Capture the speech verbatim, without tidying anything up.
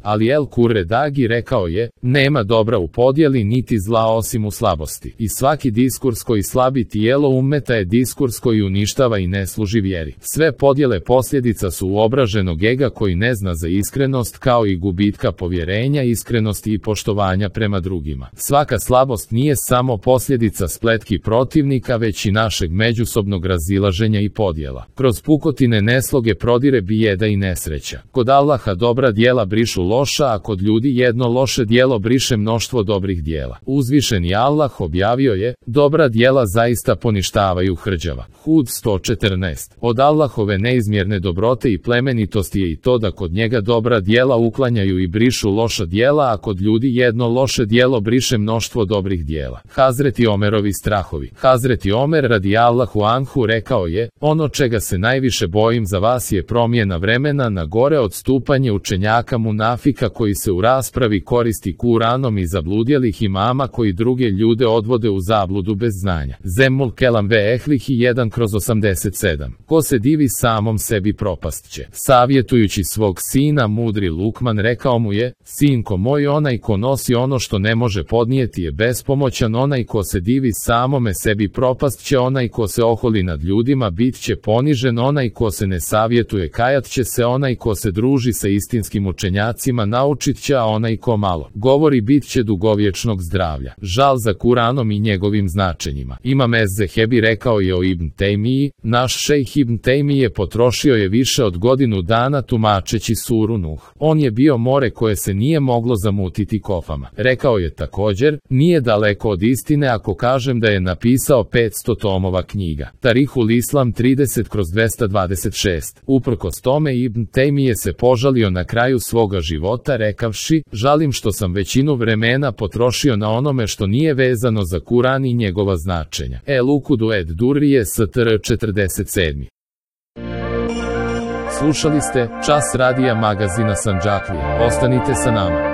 Ali El Kurredagi rekao je, nema dobra u podjeli niti zla osim u slabosti. I svaki diskurs koji slabi tijelo ummeta je diskurs koji uništava i ne služi vjeri. Sve podjele posljedica su uobraženog ega koji ne zna za iskrenost, kao i gubitka povjerenja, iskrenosti i poštovanja prema drugima. Svaka slabost nije samo posljedica spletki protivnika, već i našeg međusobnog razilaženja i podjela. Kroz pukotine nesloge prodire bijeda i nesreća. Kod Allaha dobra djela brišu loša, a kod ljudi jedno loše djelo briše mnoštvo dobrih djela. Uzvišeni Allah objavio je, dobra djela zaista poništavaju hrđava. Hud sto četrnaest. Od Allahove neizmjerne dobrote i plemenitosti je i to da kod njega dobra djela uklanjaju i brišu loša djela, a kod ljudi jedno loše djelo briše mnoštvo dobrih djela. Hazreti Omerovi strahovi. Hazreti Omer radijallahu anhu rekao je, ono čega se najviše bojim za vas je promjena vremena na gore, odstupanje učenjaka munafika koji se u raspravi koristi Kuranom i zabludjelih imama koji druge ljude odvode u zabludu bez znanja. Zemul Kelam ve Ehlihi jedan kroz osamdeset sedam. Ko se divi samom sebi propast će. Savjetujući svog sina, mudri Lukman rekao mu je, sinko moj, onaj ko nosi ono što ne može podnijeti je bespomoćan, onaj ko se divi samome sebi propast će, onaj ko se oholi nad ljudima bit će ponižen, onaj ko se ne savjetuje kajat će se, onaj ko se druži sa istinskim učenjacima naučit će, a onaj ko malo govori bit će dugovječnog zdravlja. Žal za Kuranom i njegovim značenjima. Imam Ez-Zehebi rekao je o Ibn Tejmiji, naš šejh Ibn Tejmije potrošio je više od godinu dana tumačeći suru Nuh. On je bio more koje se nije moglo zamutiti kofama. Rekao je također, nije daleko od istine ako kažem da je napisao petsto tomova knjiga. Tarihul Islam trideset kroz dvesta dvadeset šest. Uprkos tome Ibn Tejmije se požalio na kraju svoga života rekavši, žalim što sam većinu vremena potrošio na onome što nije vezano za Kuran i njegova značenja. El Ukudu ed Durrije str četrdeset sedam. Slušali ste Čas radija magazina Sandžaklije. Ostanite sa nama.